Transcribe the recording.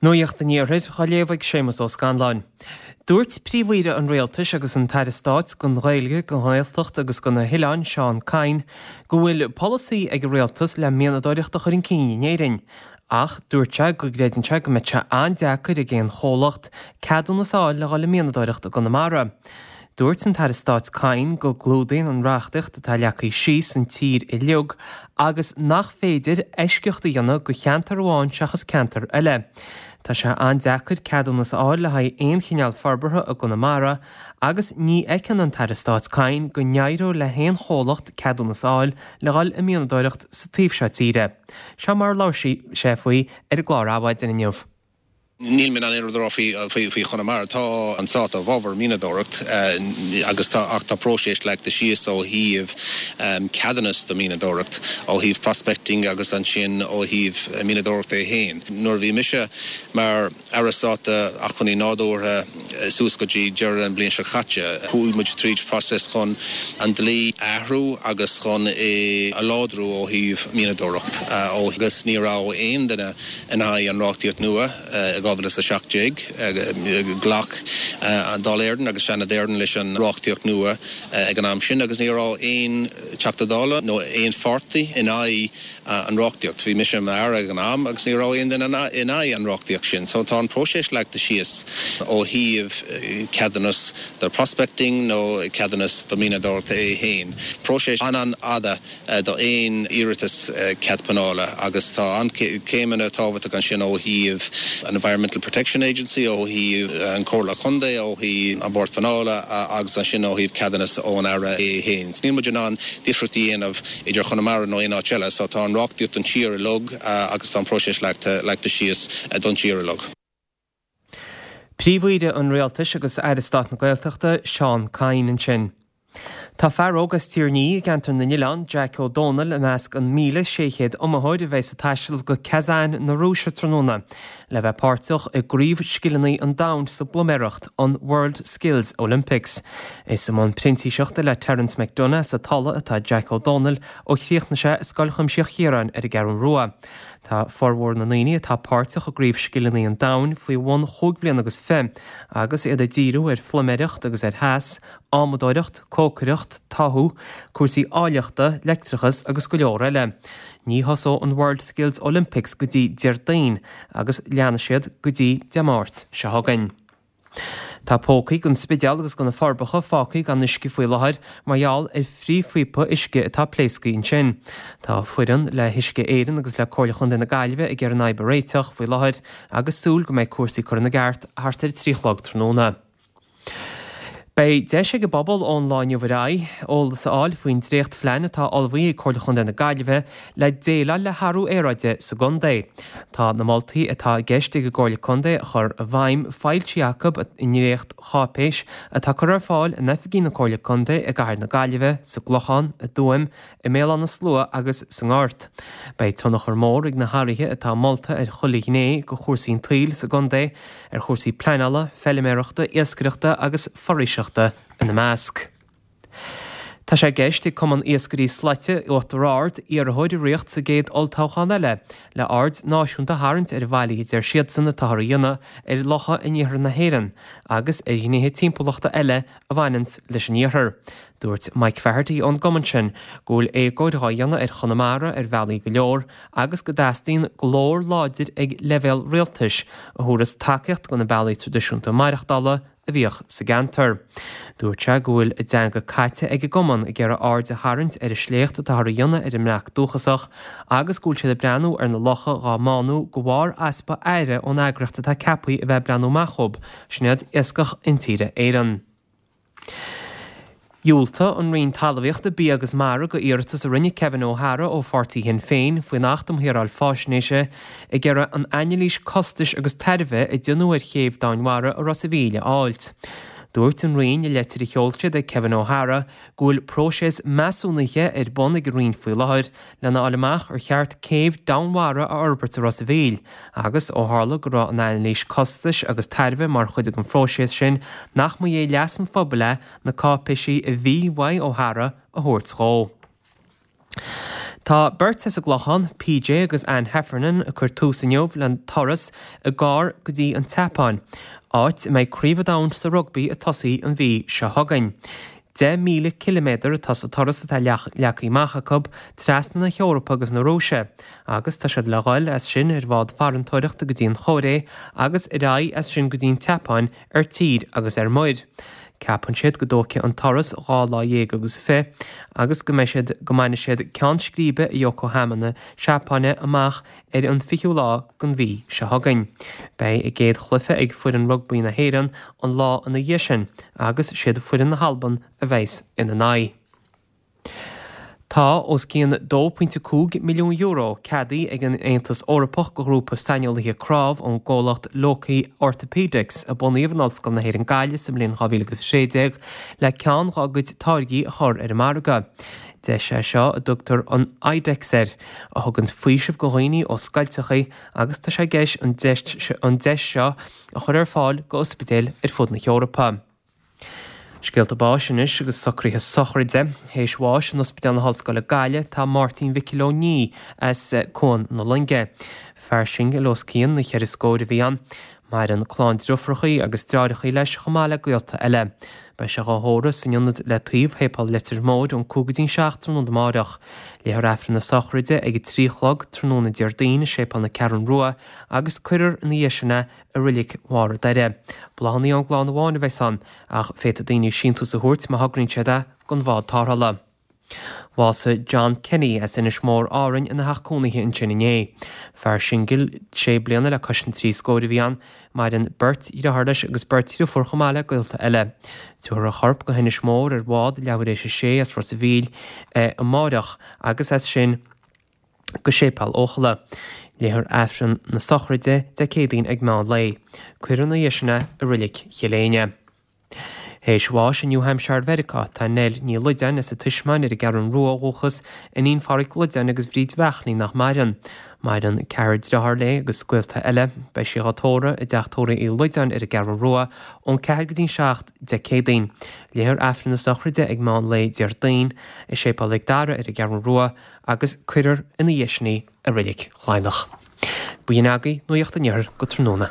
Nuacht an Iarthair á léamh ag Séamus Ó Scanláin. Dúirt Príomh-Aoire an Rialtais agus an tAire Stáit don Ghaeilge, don Ghaeltacht agus do na hOileáin, Seán Kyne, go bhfuil polasaí ag an Rialtas le mianadóireacht a chur chun cinn in Éirinn. Ach dúirt sé go gcreideann sé go mbeidh sé an-deacair ag aon chomhlacht ceadúnas a fháil le dhul ag mianadóireacht i gConamara. Dúirt an tAire Stáit Kyne go gclúdaíonn an reachtaíocht atá leagtha síos an tír uilig agus nach féidir eisceacht a dhéanamh do cheantar amháin seachas ceantar eile. Tá sé an-deacair ceadúnas a fháil le haghaidh aon chineál forbartha i gConamara agus ní fheiceann an tAire Stáit Kyne go n-éireodh le haon chomhlacht ceadúnas a fháil le dhul ag mianadóireacht sa taobh seo tíre. Seo mar a labhair sé faoi ar an gclár Adhmhaidin inniu. Níl mé in ann aon rud a rá faoi Chonamara. Tá an Stát i bhfabhar mianadóireacht agus tá ach tá próiseas leagtha síos ó thaobh ceadúnas do mianadóireacht, ó thaobh prospecting agus ansin ó thaobh mianadóireacht é féin. Nuair a bhí mise mar Aire Stáit d'Acmhainní Nádúrtha suas go dtí deireadh an bhliain seo caite, chuaigh muid tríd próiseas chun an dlí a athrú agus chun é a láidriú ó thaobh mianadóireacht agus ní raibh aon duine in aghaidh an reachtaíocht nua i 2017. Ghlac an Dáil Éireann agus Seanad Éireann leis an reachtaíocht nua ag an am sin agus ní raibh aon Teachta Dála nó aon pháirtí in aghaidh an reachtaíocht. Bhí mise i m'Aire ag an am agus ní raibh aon duine in aghaidh an reachtaíocht sin. So tá an próiseas leagtha síos ó thaobh ceadúnas do prospecting nó ceadúnas do mianadóireacht é féin. Próiseas an-an-fhada d'aon iarratas cead pleanála agus tá an-chéimeanna tábhachtach ansin ó thaobh an Environmental Protection Agency, ó thaobh an Chomhairle Contae, ó thaobh an Bord Pleanála agus ansin ó thaobh ceadúnas ón Aire é féin. Níl muid in ann difríocht a dhéanamh idir Chonamara nó aon áit eile so tá an reachtaíocht don tír uilig agus tá an próiseas leagtha síos don tír uilig. Príomh-Aoire an Rialtais agus Aire Stáit na Gaeltachta, Seán Kyne ansin. Tá fear óg as Tír an Fhí i gCeantar na nOileán, Jack Ó Dónaill, i measc an 1,600 iomaitheoir a bheidh ag taisteal go Kazan na Rúise tráthnóna le bheith páirteach i gCraobh Scileanna an Domhain sa bpluiméireacht, an World Skills Olympics. Is i mbun printíseachta le Terence McDonagh sa Tulaigh atá Jack Ó Dónaill ó chríochnaigh sé i Scoil Chuimsitheach Chiaráin ar an gCeathrú Rua. Tá formhór na ndaoine atá páirteach i gCraobh Scileanna an Domhain faoi bhun chúig bhliana agus fi, agus iad ag díriú ar phluiméireacht agus ar theas, adhmadóireacht, cócaireacht, táthú, cúrsaí áilleachta, leictreachas agus go leor eile. Ní thosóidh an World Skills Olympics go dtí Déardaoin agus leanfaidh siad go dtí Dé Máirt seo chugainn. Tá pócaí don Spidéal agus do na Forbacha fágtha gan uisce faoi láthair mar gheall ar phríomhphíopa uisce atá pléasctha ansin. Tá foireann le hUisce Éireann agus le Comhairle Chontae na Gaillimhe ag iarraidh an fhadhb a réiteach faoi láthair agus súil go mbeidh cúrsaí curtha ina gceart thart ar a 3 a chlog tráthnóna. Beidh deis ag an bpobal ón lá inniu ar aghaidh, eolas a fháil faoin dréachtphlean atá ullmhaithe ag Comhairle Chontae na Gaillimhe le déileáil le hathrú aeráide sa gcontae. Tá na moltaí atá i gceist ag an gComhairle Contae a chur i bhfeidhm foilsithe acu i ndréacht-cháipéis atá curtha ar fáil in oifigí na Comhairle Contae i gCathair na Gaillimhe, sa gClochán, i dTuaim, i mBéal Átha na Slua agus sa nGort. Beidh tionchar mór ag na hathruithe atá molta ar chuile ghné de chúrsaí an tsaoil sa gcontae, ar chúrsaí pleanála, feiliméarachta, iascaireachta agus foraoiseachta ina measc. Tá sé i gceist ag Cumann Iascairí Slaite Uachtar Ard iarrthóir a riocht sa gcéad olltoghchán eile le aird náisiúnta a tharraingt ar an bhfaillí a deir siadsan atáthar a dhéanamh ar locha in iarthar na hÉireann agus ar ghnéithe timpeallachta eile a bhaineanns leis an iarthar. Dúirt Mike Faherty ón gcumann sin go bhfuil éagóir dhá dhéanamh ar Chonamara ar bhealaí go leor agus go dteastaíonn glór láidir ag leibhéal rialtais a thabharfas tacaíocht do na bealaí traidisiúnta maireachtála a bhíodh sa gceantar. Dúirt sé go bhfuil a dteanga caite ag an gcumann ag iarraidh aird a tharraingt ar an sléacht atáthar a dhéanamh ar an mbreac dúchasach agus go bhfuil siad ag breathnú ar na locha dhá mbánú de bharr easpa aire ón eagraíocht atá ceaptha a bheith ag breathnú amach dhób, Sin iad Iascach Intíre Éireann. Dhiúltaigh an Roinn Talmhaíochta, Bia agus Mara do iarratas a rinne Kevin O'Hara ó pháirtí Shinn Féin faoin Acht um Shaoráil Faisnéise ag iarraidh an anailís costais agus tairbhe a déanadh ar chéibh Domhainmhara i Ros a' Mhíl a fháilt. Dúirt an Roinn i leitir a sheol siad ag Kevin O'Hara go bhfuil próiseas measúnaithe ar bun ag an Roinn faoi láthair lena fháil amach ar cheart céibh domhainmhara a fhorbairt i Ros a' Mhíl, agus ó tharla go raibh an anailís costais agus tairbhe mar chuid den phróiseas sin, nach mba é leas an phobail é na cáipéisí a bhí uaidh O'Hara a thabhairt dhó. Tá beirt as an gClochán, PJ agus Anne Heffernan, ag cur tús inniu le turas i gcarr go dtí an tSeapáin, áit a mbeidh Craobh an Domhain sa Rugbaí ag tosaí an mhí seo chugainn. 10,000 ciliméadar atá sa turas atá leagtha amach acu trasna na hEorpa agus na Rúise, agus tá siad le dhul as sin ar bhád farantóireachta go dtí an Chóiré agus ar aghaidh as sin go dtí an tSeapáin ar tír agus ar muir. Ceapann siad go dtógfaidh an turas 12 lá agus fi agus go mbeidh siad go mbainfidh siad ceann scríbe i Yokohama na Seapáine amach ar an 20ú lá den mhí seo chugainn. Beidh a gcéad chluiche ag foireann rugbaí na hÉireann an lá ina dhiaidh sin agus siad foireann na hAlban a bheas ina n-aghaidh. Tá os cionn €2.5 milliún ceadaithe ag an Aontas Eorpach do ghrúpa saineolaithe cnámh ón gcomhlacht Loki Orthopaedics, a bunaíodh in Ollscoil na hÉireann Gaillimh sa mbliain 2016, le ceann dá gcuid táirgí a chur ar an margadh. Deis é seo, a dtugtar an iDex air, a thuganns faoiseamh do dhaoine ó scoilteachaí agus tá sé i gceist an deis seo a chur ar fáil do ospidéil ar fud na hEorpa. Scéalta báis anois agus socruithe sochraide. Théis bháis in Ospidéal na hOllscoile Gaillimh tá Máirtín Mhicil Ó Ní as Cuan na Loinge. Fear singil os cionn na cheithre scóir a bhí ann. Maireann clann driofrachaí agus dreáireachaí leis chomh maith le gaolta eile. Beidh sé dhá thórramh san ionad le taobh Shéipéal Leitir Móir ón 5 go dtí'n 7 tráthnóna amáireach. Léifear Aifreann na sochraide ag a 3 a chlog tráthnóna Déardaoin i Séipéal na Ceathrún Rua agus cuirfear ina dhiaidh sin é i Reilig Bharr a' Doire. Bláthanna ón gclann amháin a bheas ann, ach féadfaidh daoine síntiús a thabhairt má thograíonn siad é don bhád tarrthála. Bhásaigh John Kenny as Inis Mór, Árainn ina theach cónaithe ansin inné. Fear singil sé bliana le cois an trí scóir a bhí ann. Maireann beirt dhriotháir leis agus beirt dhriofúr chomh maith le gaolta eile. Tabharfar a chorp go hInis Mór ar bhád leathuair éis a sé as Ros a' Mhíl amáireach agus as sin go Séipéal Eochalla. Léifear Aifreann na sochraide Dé Céadaoin ag meán lae. Cuirfear ina dhiaidh sin é i Reilig Chill Éinne. Théis bháis i New Hampshire Mheiriceá tá Nell Ní Loideáin as an Tismeáin ar an gCeathrún Rua ó dhúchas, iníon Pháraic Loideáin agus Bhríd Bheachnaí nach maireann. Maireann ceathrar driotháir léi agus gaolta eile. Beidh sí dhá tórramh i dteach tórraimh Uí Loideáin ar an gCeathrún Rua ón 4 go dtí'n 7 Dé Céadaoin. Léifear Aifreann na sochraide ag meán lae Déardaoin i Séipéal Mhic Dara ar an gCeathrún Rua agus cuirfear ina dhiaidh sin í i Reilig Chladhnach. B'in agaibh Nuacht an Iarthair go tráthnóna.